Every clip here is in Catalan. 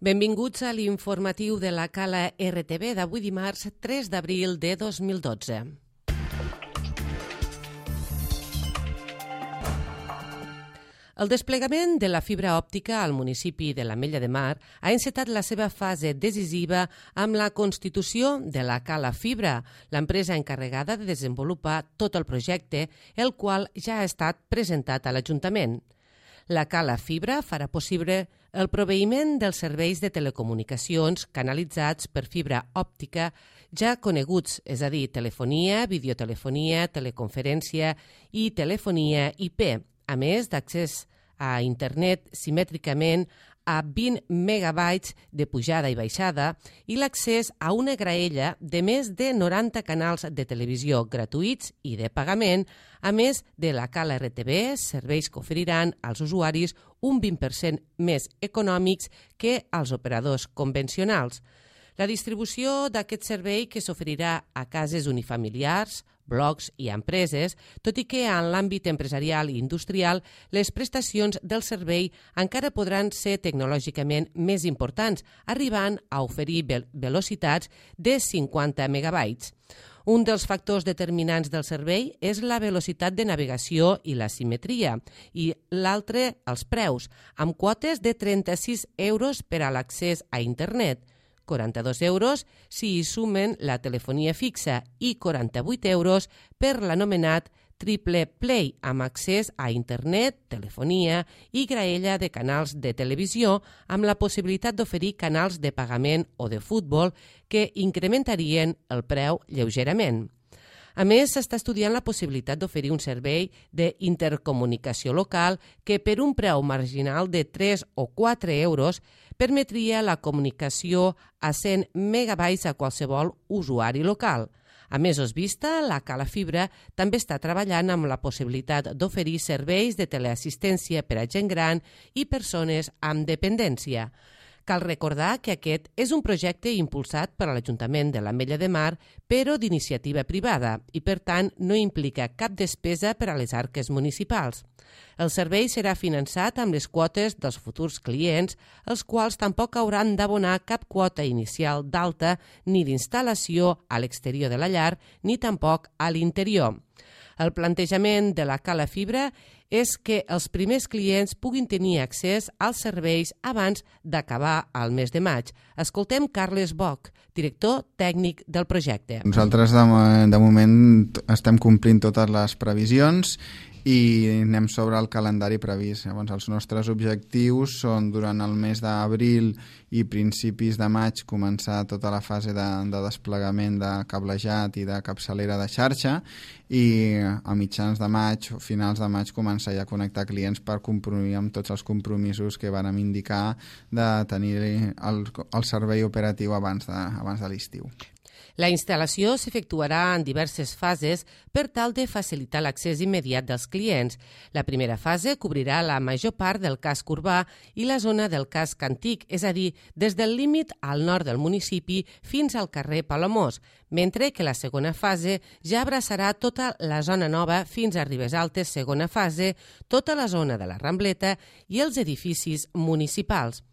Benvinguts a l'informatiu de la Cala RTV d'avui dimarts 3 d'abril de 2012. El desplegament de la fibra òptica al municipi de l'Ametlla de Mar ha encetat la seva fase decisiva amb la constitució de la Cala Fibra, l'empresa encarregada de desenvolupar tot el projecte, el qual ja ha estat presentat a l'Ajuntament. La Cala Fibra farà possible el proveïment dels serveis de telecomunicacions canalitzats per fibra òptica ja coneguts, és a dir, telefonia, videotelefonia, teleconferència i telefonia IP, a més d'accés a internet simètricament a 20 megabytes de pujada i baixada i l'accés a una graella de més de 90 canals de televisió gratuïts i de pagament, a més de la Cala RTV, serveis que oferiran als usuaris un 20% més econòmics que als operadors convencionals. La distribució d'aquest servei que s'oferirà a cases unifamiliars, blocs i empreses, tot i que en l'àmbit empresarial i industrial les prestacions del servei encara podran ser tecnològicament més importants, arribant a oferir velocitats de 50 megabytes. Un dels factors determinants del servei és la velocitat de navegació i la simetria, i l'altre, els preus, amb quotes de 36 euros per a l'accés a internet, 42 euros si hi sumen la telefonia fixa i 48 euros per l'anomenat Triple Play, amb accés a internet, telefonia i graella de canals de televisió, amb la possibilitat d'oferir canals de pagament o de futbol que incrementarien el preu lleugerament. A més, s'està estudiant la possibilitat d'oferir un servei d'intercomunicació local que per un preu marginal de 3 o 4 euros permetria la comunicació a 100 megabytes a qualsevol usuari local. A mesos vista, la Cala Fibra també està treballant amb la possibilitat d'oferir serveis de teleassistència per a gent gran i persones amb dependència. Cal recordar que aquest és un projecte impulsat per l'Ajuntament de l'Ametlla de Mar, però d'iniciativa privada, i per tant no implica cap despesa per a les arques municipals. El servei serà finançat amb les quotes dels futurs clients, els quals tampoc hauran d'abonar cap quota inicial d'alta ni d'instal·lació a l'exterior de la llar, ni tampoc a l'interior. El plantejament de la Cala Fibra és que els primers clients puguin tenir accés als serveis abans d'acabar el mes de maig. Escoltem Carles Boch, director tècnic del projecte. Nosaltres de moment estem complint totes les previsions i anem sobre el calendari previst. Llavors, els nostres objectius són durant el mes d'abril i principis de maig començar tota la fase de desplegament de cablejat i de capçalera de xarxa i a mitjans de maig o finals de maig començar ja a connectar clients per complir amb tots els compromisos que vàrem indicar de tenir el servei operatiu abans de l'estiu. La instal·lació s'efectuarà en diverses fases per tal de facilitar l'accés immediat dels clients. La primera fase cobrirà la major part del casc urbà i la zona del casc antic, és a dir, des del límit al nord del municipi fins al carrer Palamós, mentre que la segona fase ja abraçarà tota la zona nova fins a Ribes Altes, segona fase, tota la zona de la Rambleta i els edificis municipals.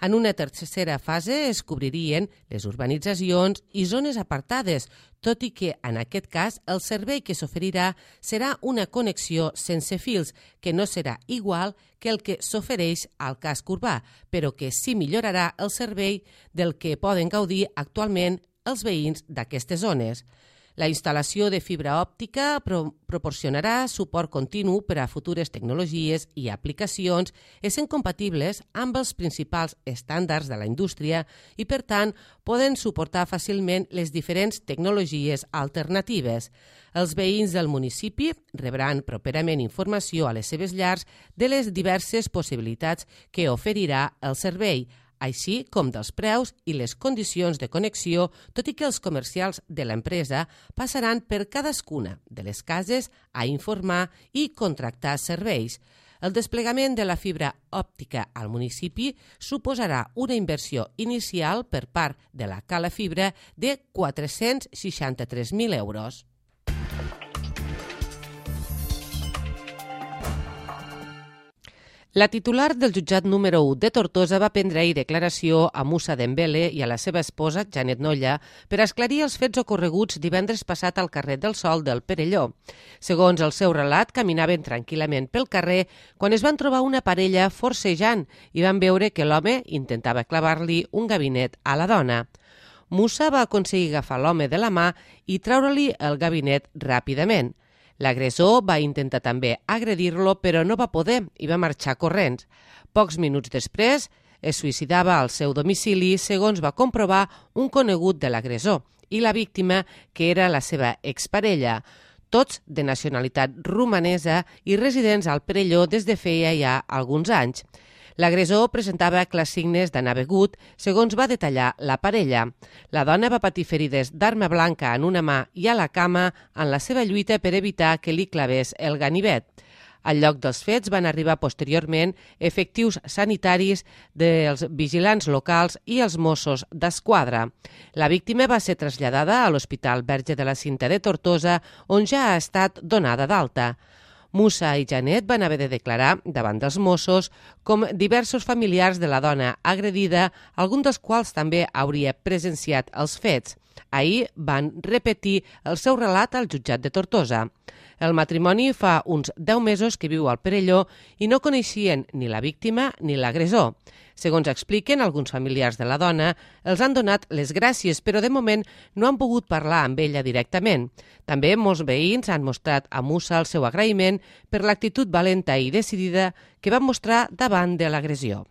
En una tercera fase es cobririen les urbanitzacions i zones apartades, tot i que en aquest cas el servei que s'oferirà serà una connexió sense fils, que no serà igual que el que s'ofereix al casc urbà, però que sí millorarà el servei del que poden gaudir actualment els veïns d'aquestes zones. La instal·lació de fibra òptica proporcionarà suport continu per a futures tecnologies i aplicacions essent compatibles amb els principals estàndards de la indústria i, per tant, poden suportar fàcilment les diferents tecnologies alternatives. Els veïns del municipi rebran properament informació a les seves llars de les diverses possibilitats que oferirà el servei, així com dels preus i les condicions de connexió, tot i que els comercials de l'empresa passaran per cadascuna de les cases a informar i contractar serveis. El desplegament de la fibra òptica al municipi suposarà una inversió inicial per part de la Cala Fibra de 463.000 euros. La titular del jutjat número 1 de Tortosa va prendre ahir declaració a Musa Dembele i a la seva esposa, Janet Nolla, per esclarir els fets ocorreguts divendres passat al carrer del Sol del Perelló. Segons el seu relat, caminaven tranquil·lament pel carrer quan es van trobar una parella forcejant i van veure que l'home intentava clavar-li un gabinet a la dona. Musa va aconseguir agafar l'home de la mà i treure-li el gabinet ràpidament. L'agressor va intentar també agredir-lo, però no va poder i va marxar corrents. Pocs minuts després, es suïcidava al seu domicili, segons va comprovar un conegut de l'agressor i la víctima, que era la seva exparella, tots de nacionalitat romanesa i residents al Perelló des de feia ja alguns anys. L'agressor presentava clars signes d'anar begut, segons va detallar la parella. La dona va patir ferides d'arma blanca en una mà i a la cama en la seva lluita per evitar que li clavés el ganivet. Al lloc dels fets van arribar posteriorment efectius sanitaris dels vigilants locals i els Mossos d'Esquadra. La víctima va ser traslladada a l'Hospital Verge de la Cinta de Tortosa, on ja ha estat donada d'alta. Musa i Janet van haver de declarar davant dels Mossos com diversos familiars de la dona agredida, algun dels quals també hauria presenciat els fets. Ahir van repetir el seu relat al jutjat de Tortosa. El matrimoni fa uns 10 mesos que viu al Perelló i no coneixien ni la víctima ni l'agressor. Segons expliquen alguns familiars de la dona, els han donat les gràcies, però de moment no han pogut parlar amb ella directament. També molts veïns han mostrat a Musa el seu agraïment per l'actitud valenta i decidida que va mostrar davant de l'agressió.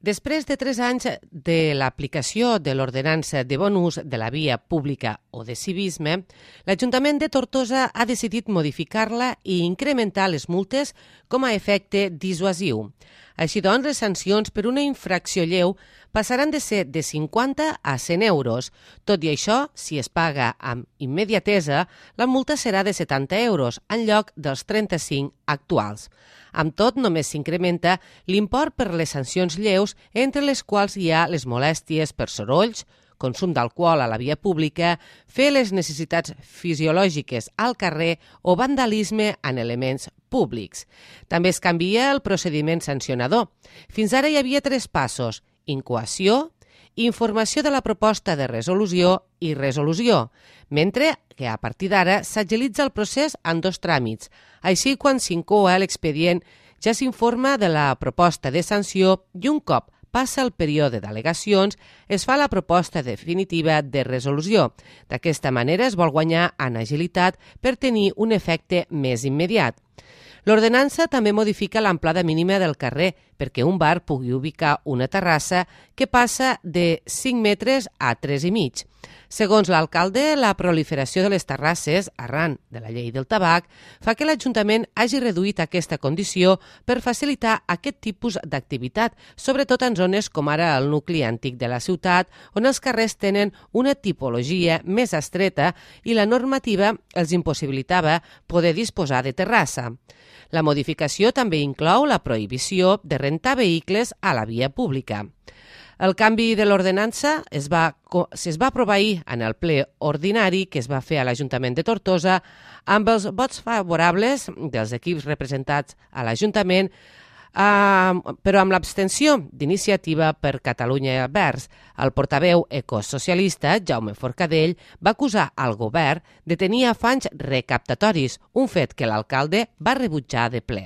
Després de 3 anys de l'aplicació de l'ordenança de bon ús de la via pública o de civisme, l'Ajuntament de Tortosa ha decidit modificar-la i incrementar les multes com a efecte dissuasiu. Així doncs, les sancions per una infracció lleu passaran de ser de 50 a 100 euros. Tot i això, si es paga amb immediatesa, la multa serà de 70 euros en lloc dels 35 actuals. Amb tot, només s'incrementa l'import per les sancions lleus, entre les quals hi ha les molèsties per sorolls, consum d'alcohol a la via pública, fer les necessitats fisiològiques al carrer o vandalisme en elements públics. També es canvia el procediment sancionador. Fins ara hi havia 3 passos: incoació, informació de la proposta de resolució i resolució, mentre que a partir d'ara s'agilitza el procés en 2 tràmits. Així, quan s'incoa l'expedient, ja s'informa de la proposta de sanció i un cop passa el període d'al·legacions, es fa la proposta definitiva de resolució. D'aquesta manera es vol guanyar en agilitat per tenir un efecte més immediat. L'ordenança també modifica l'amplada mínima del carrer perquè un bar pugui ubicar una terrassa que passa de 5 metres a 3,5. Segons l'alcalde, la proliferació de les terrasses, arran de la llei del tabac, fa que l'Ajuntament hagi reduït aquesta condició per facilitar aquest tipus d'activitat, sobretot en zones com ara el nucli antic de la ciutat, on els carrers tenen una tipologia més estreta i la normativa els impossibilitava poder disposar de terrassa. La modificació també inclou la prohibició de rentar vehicles a la via pública. El canvi de l'ordenança es va aprovar ahir en el ple ordinari que es va fer a l'Ajuntament de Tortosa amb els vots favorables dels equips representats a l'Ajuntament, però amb l'abstenció d'Iniciativa per Catalunya Verds. El portaveu ecosocialista, Jaume Forcadell, va acusar al govern de tenir afanys recaptatoris, un fet que l'alcalde va rebutjar de ple.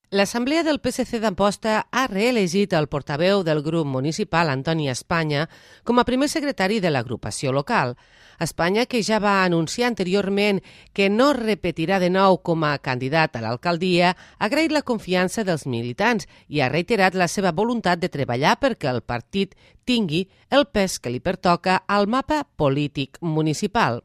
L'Assemblea del PSC d'Amposta ha reelegit el portaveu del grup municipal, Antoni Espanya, com a primer secretari de l'agrupació local. Espanya, que ja va anunciar anteriorment que no repetirà de nou com a candidat a l'alcaldia, ha agraït la confiança dels militants i ha reiterat la seva voluntat de treballar perquè el partit tingui el pes que li pertoca al mapa polític municipal.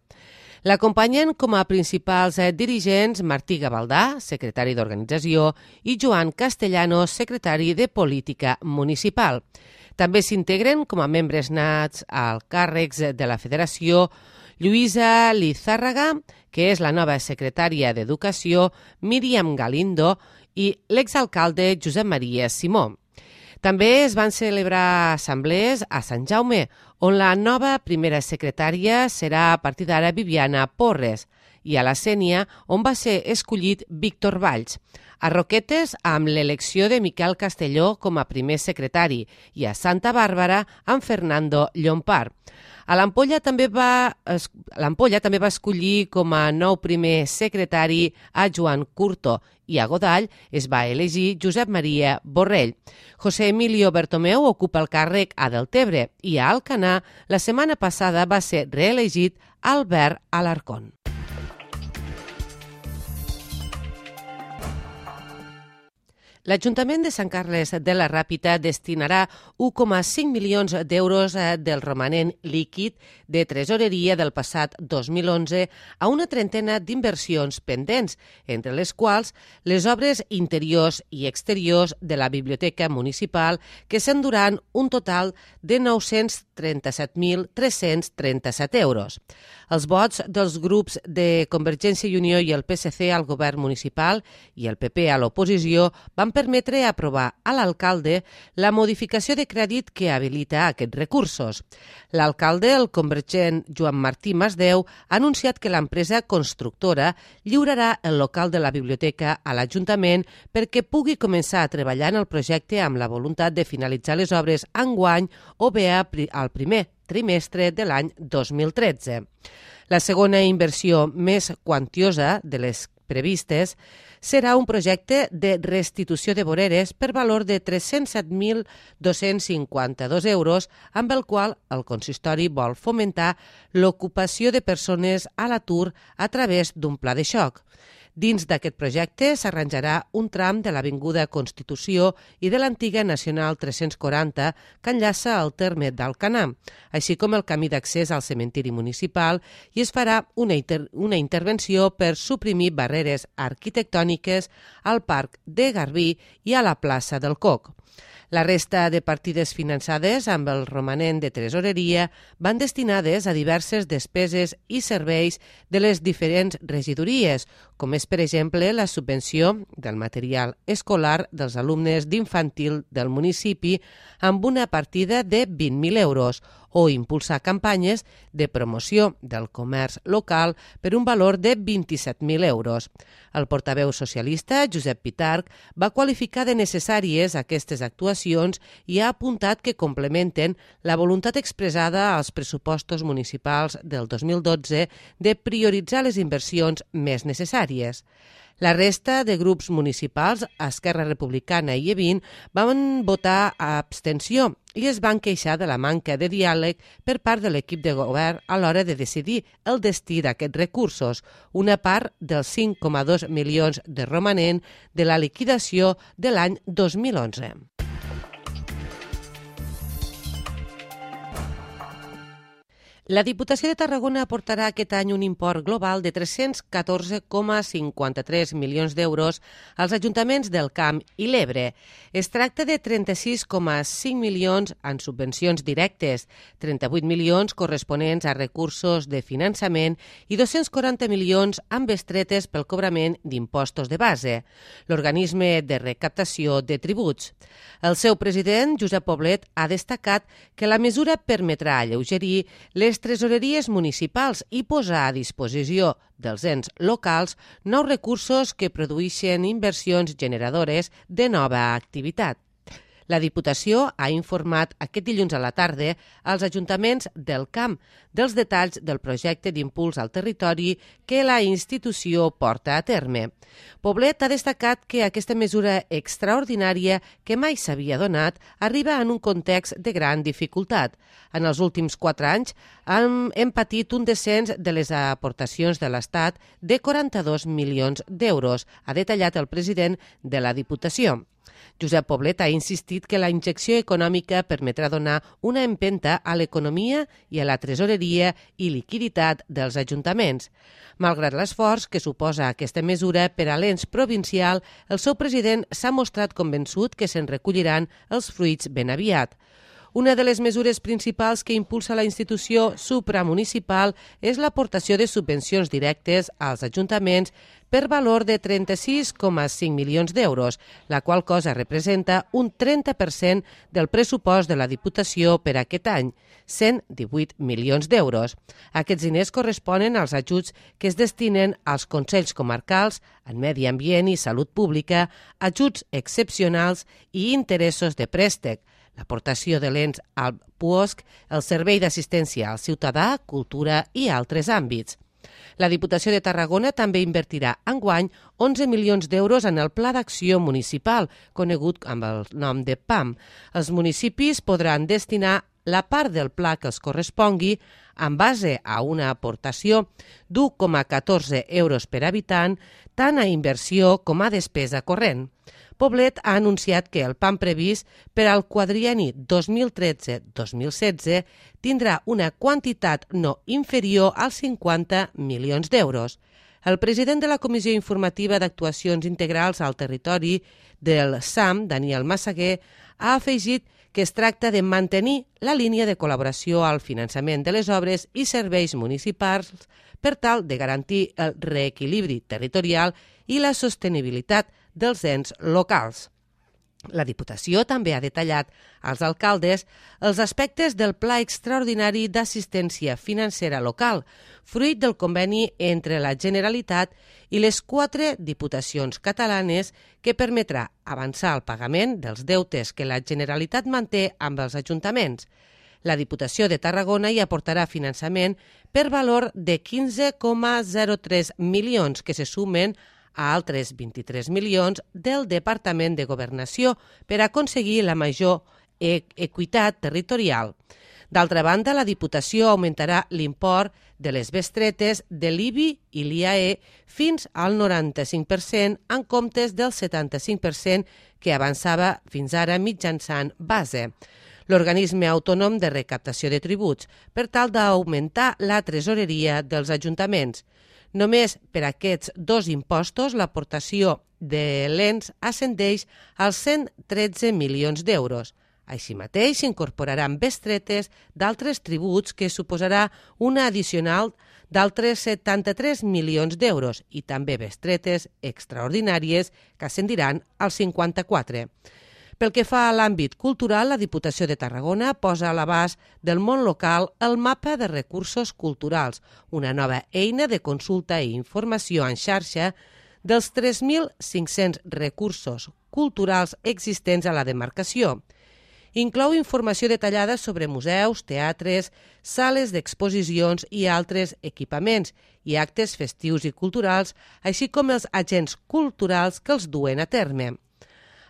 L'acompanyen com a principals dirigents Martí Gavaldà, secretari d'Organització, i Joan Castellanos, secretari de Política Municipal. També s'integren com a membres nats als càrrecs de la Federació Lluïsa Lizárraga, que és la nova secretària d'Educació, Míriam Galindo, i l'exalcalde Josep Maria Simó. També es van celebrar assemblees a Sant Jaume, on la nova primera secretària serà a partir d'ara Viviana Porres, i a la Sénia, on va ser escollit Víctor Valls. A Roquetes, amb l'elecció de Miquel Castelló com a primer secretari, i a Santa Bàrbara, amb Fernando Llompart. A l'Ampolla també va escollir com a nou primer secretari a Joan Curto, i a Godall es va elegir Josep Maria Borrell. José Emilio Bertomeu ocupa el càrrec a Deltebre, i a Alcanar la setmana passada va ser reelegit Albert Alarcón. L'Ajuntament de Sant Carles de la Ràpita destinarà 1,5 milions d'euros del romanent líquid de tresoreria del passat 2011 a una trentena d'inversions pendents, entre les quals les obres interiors i exteriors de la Biblioteca Municipal, que s'enduran un total de 937.337 euros. Els vots dels grups de Convergència i Unió i el PSC al govern municipal i el PP a l'oposició van permetre aprovar a l'alcalde la modificació de crèdit que habilita aquests recursos. L'alcalde, el convergent Joan Martí Masdeu, ha anunciat que l'empresa constructora lliurarà el local de la biblioteca a l'Ajuntament perquè pugui començar a treballar en el projecte amb la voluntat de finalitzar les obres enguany o bé al primer trimestre de l'any 2013. La segona inversió més quantiosa de les previstes serà un projecte de restitució de voreres per valor de 307.252 euros, amb el qual el consistori vol fomentar l'ocupació de persones a l'atur a través d'un pla de xoc. Dins d'aquest projecte s'arranjarà un tram de l'Avinguda Constitució i de l'antiga Nacional 340 que enllaça el terme d'Alcanar, així com el camí d'accés al cementiri municipal, i es farà una intervenció per suprimir barreres arquitectòniques al Parc de Garbí i a la plaça del Coc. La resta de partides finançades amb el romanent de tresoreria van destinades a diverses despeses i serveis de les diferents regidories, com és, per exemple, la subvenció del material escolar dels alumnes d'infantil del municipi amb una partida de 20.000 euros, o impulsar campanyes de promoció del comerç local per un valor de 27.000 euros. El portaveu socialista, Josep Pitarch, va qualificar de necessàries aquestes actuacions i ha apuntat que complementen la voluntat expressada als pressupostos municipals del 2012 de prioritzar les inversions més necessàries. La resta de grups municipals, Esquerra Republicana i E20, van votar a abstenció i es van queixar de la manca de diàleg per part de l'equip de govern a l'hora de decidir el destí d'aquests recursos, una part dels 5,2 milions de romanent de la liquidació de l'any 2011. La Diputació de Tarragona aportarà aquest any un import global de 314,53 milions d'euros als ajuntaments del Camp i l'Ebre. Es tracta de 36,5 milions en subvencions directes, 38 milions corresponents a recursos de finançament i 240 milions amb bestretes pel cobrament d'impostos de base, l'organisme de recaptació de tributs. El seu president, Josep Poblet, ha destacat que la mesura permetrà alleugerir les tresoreries municipals i posar a disposició dels ens locals nous recursos que produeixen inversions generadores de nova activitat. La Diputació ha informat aquest dilluns a la tarda als ajuntaments del Camp dels detalls del projecte d'impuls al territori que la institució porta a terme. Poblet ha destacat que aquesta mesura extraordinària que mai s'havia donat arriba en un context de gran dificultat. En els últims 4 anys hem patit un descens de les aportacions de l'Estat de 42 milions d'euros, ha detallat el president de la Diputació. Josep Poblet ha insistit que la injecció econòmica permetrà donar una empenta a l'economia i a la tresoreria i liquiditat dels ajuntaments. Malgrat l'esforç que suposa aquesta mesura per a l'ens provincial, el seu president s'ha mostrat convençut que se'n recolliran els fruits ben aviat. Una de les mesures principals que impulsa la institució supramunicipal és l'aportació de subvencions directes als ajuntaments per valor de 36,5 milions d'euros, la qual cosa representa un 30% del pressupost de la Diputació per aquest any, 118 milions d'euros. Aquests diners corresponen als ajuts que es destinen als Consells Comarcals en Medi Ambient i Salut Pública, ajuts excepcionals i interessos de préstec, l'aportació de l'ENS al PUOSC, el Servei d'Assistència al Ciutadà, Cultura i altres àmbits. La Diputació de Tarragona també invertirà enguany 11 milions d'euros en el Pla d'Acció Municipal, conegut amb el nom de PAM. Els municipis podran destinar la part del pla que els correspongui en base a una aportació d'1,14 euros per habitant, tant a inversió com a despesa corrent. Poblet ha anunciat que el PAM previst per al quadrienni 2013-2016 tindrà una quantitat no inferior als 50 milions d'euros. El president de la Comissió Informativa d'Actuacions Integrals al Territori del SAM, Daniel Massaguer, ha afegit que es tracta de mantenir la línia de col·laboració al finançament de les obres i serveis municipals per tal de garantir el reequilibri territorial i la sostenibilitat dels ens locals. La Diputació també ha detallat als alcaldes els aspectes del Pla Extraordinari d'Assistència Financera Local, fruit del conveni entre la Generalitat i les 4 diputacions catalanes que permetrà avançar el pagament dels deutes que la Generalitat manté amb els ajuntaments. La Diputació de Tarragona hi aportarà finançament per valor de 15,03 milions que se sumen a altres 23 milions del Departament de Governació per aconseguir la major equitat territorial. D'altra banda, la Diputació augmentarà l'import de les bestretes de l'IBI i l'IAE fins al 95% en comptes del 75% que avançava fins ara mitjançant base, l'organisme autònom de recaptació de tributs, per tal d'augmentar la tresoreria dels ajuntaments. Només per aquests 2 impostos l'aportació de l'ENS ascendeix als 113 milions d'euros. Així mateix s'incorporaran bestretes d'altres tributs que suposarà una addicional d'altres 73 milions d'euros i també bestretes extraordinàries que ascendiran als 54. Pel que fa a l'àmbit cultural, la Diputació de Tarragona posa a l'abast del món local el mapa de recursos culturals, una nova eina de consulta i informació en xarxa dels 3.500 recursos culturals existents a la demarcació. Inclou informació detallada sobre museus, teatres, sales d'exposicions i altres equipaments i actes festius i culturals, així com els agents culturals que els duen a terme.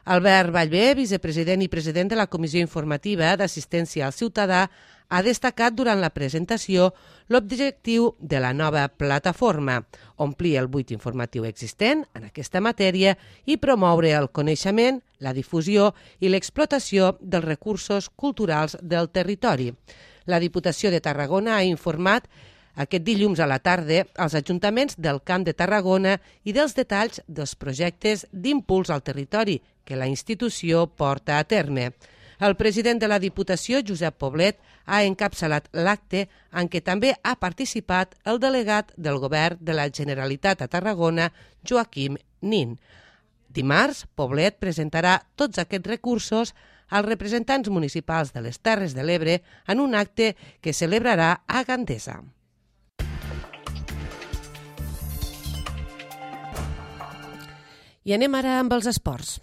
Albert Vallvé, vicepresident i president de la Comissió Informativa d'Assistència al Ciutadà, ha destacat durant la presentació l'objectiu de la nova plataforma, omplir el buit informatiu existent en aquesta matèria i promoure el coneixement, la difusió i l'explotació dels recursos culturals del territori. La Diputació de Tarragona ha informat aquest dilluns a la tarda als ajuntaments del Camp de Tarragona i dels detalls dels projectes d'impuls al territori que la institució porta a terme. El president de la Diputació, Josep Poblet, ha encapçalat l'acte en què també ha participat el delegat del Govern de la Generalitat a Tarragona, Joaquim Nin. Dimarts, Poblet presentarà tots aquests recursos als representants municipals de les Terres de l'Ebre en un acte que celebrarà a Gandesa. I anem ara amb els esports.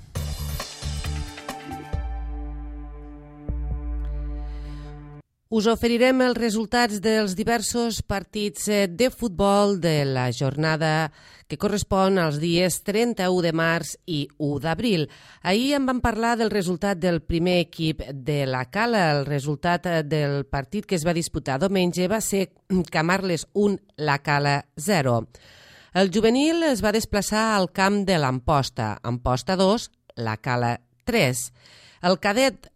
Us oferirem els resultats dels diversos partits de futbol de la jornada que correspon als dies 31 de març i 1 d'abril. Ahir en vam parlar del resultat del primer equip de la Cala. El resultat del partit que es va disputar diumenge va ser Camarles 1, la Cala 0. El juvenil es va desplaçar al camp de l'Amposta, Amposta 2, la Cala 3. El cadet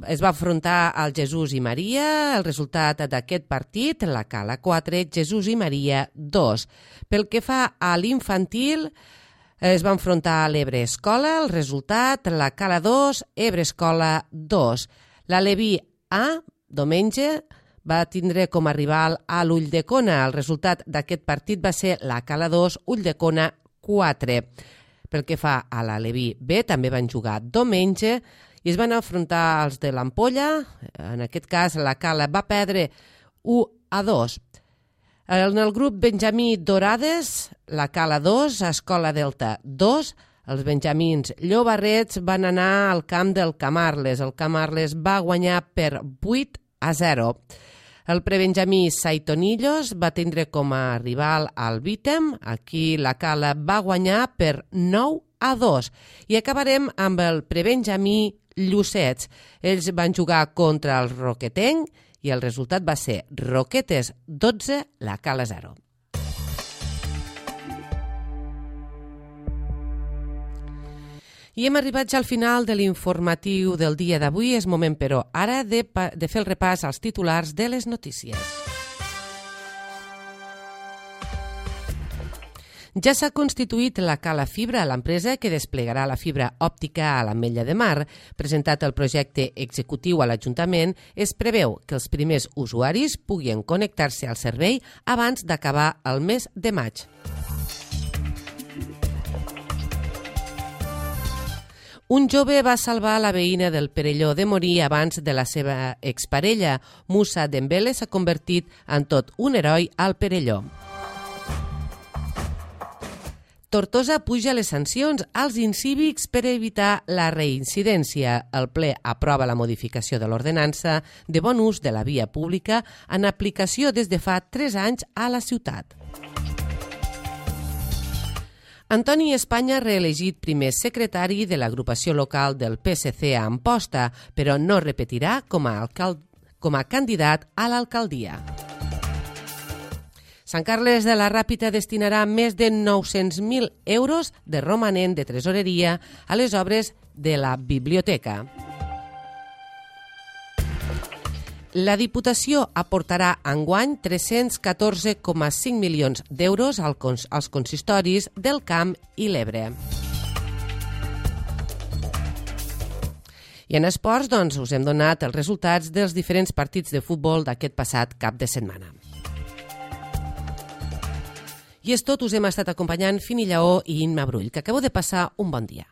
es va afrontar al Jesús i Maria. El resultat d'aquest partit, la Cala 4, Jesús i Maria 2. Pel que fa a l'infantil, es va enfrontar a l'Ebre Escola. El resultat, la Cala 2, Ebre Escola 2. La Leví A, diumenge, va tindre com a rival a l'Ulldecona. El resultat d'aquest partit va ser la Cala 2, Ulldecona 4. Pel que fa a la Leví B, també van jugar diumenge i es van afrontar els de l'Ampolla. En aquest cas, la Cala va perdre 1-2. En el grup Benjamí Dorades, la Cala 2, Escola Delta 2. Els benjamins llobarrets van anar al camp del Camarles. El Camarles va guanyar per 8-0. El prebenjamí Saitonillos va tindre com a rival al Vítem. Aquí la Cala va guanyar per 9-2. I acabarem amb el prebenjamí Llucets. Ells van jugar contra el Roquetenc i el resultat va ser Roquetes 12, la Cala 0. I hem arribat ja al final de l'informatiu del dia d'avui. És moment, però, ara de fer el repàs als titulars de les notícies. Ja s'ha constituït la Cala Fibra, l'empresa que desplegarà la fibra òptica a l'Ametlla de Mar. Presentat el projecte executiu a l'Ajuntament, es preveu que els primers usuaris puguin connectar-se al servei abans d'acabar el mes de maig. Un jove va salvar la veïna del Perelló de morir abans de la seva exparella. Musa Dembele s'ha convertit en tot un heroi al Perelló. Tortosa puja les sancions als incívics per evitar la reincidència. El ple aprova la modificació de l'ordenança de bon ús de la via pública en aplicació des de fa 3 anys a la ciutat. Antoni Espanya reelegit primer secretari de l'agrupació local del PSC a Amposta, però no repetirà com a candidat a l'alcaldia. Sant Carles de la Ràpita destinarà més de 900.000 euros de romanent de tresoreria a les obres de la biblioteca. La Diputació aportarà enguany 314,5 milions d'euros als consistoris del Camp i l'Ebre. I en esports, doncs, us hem donat els resultats dels diferents partits de futbol d'aquest passat cap de setmana. I és tot, us hem estat acompanyant Fini Lleó i Imma Brull, que acabeu de passar un bon dia.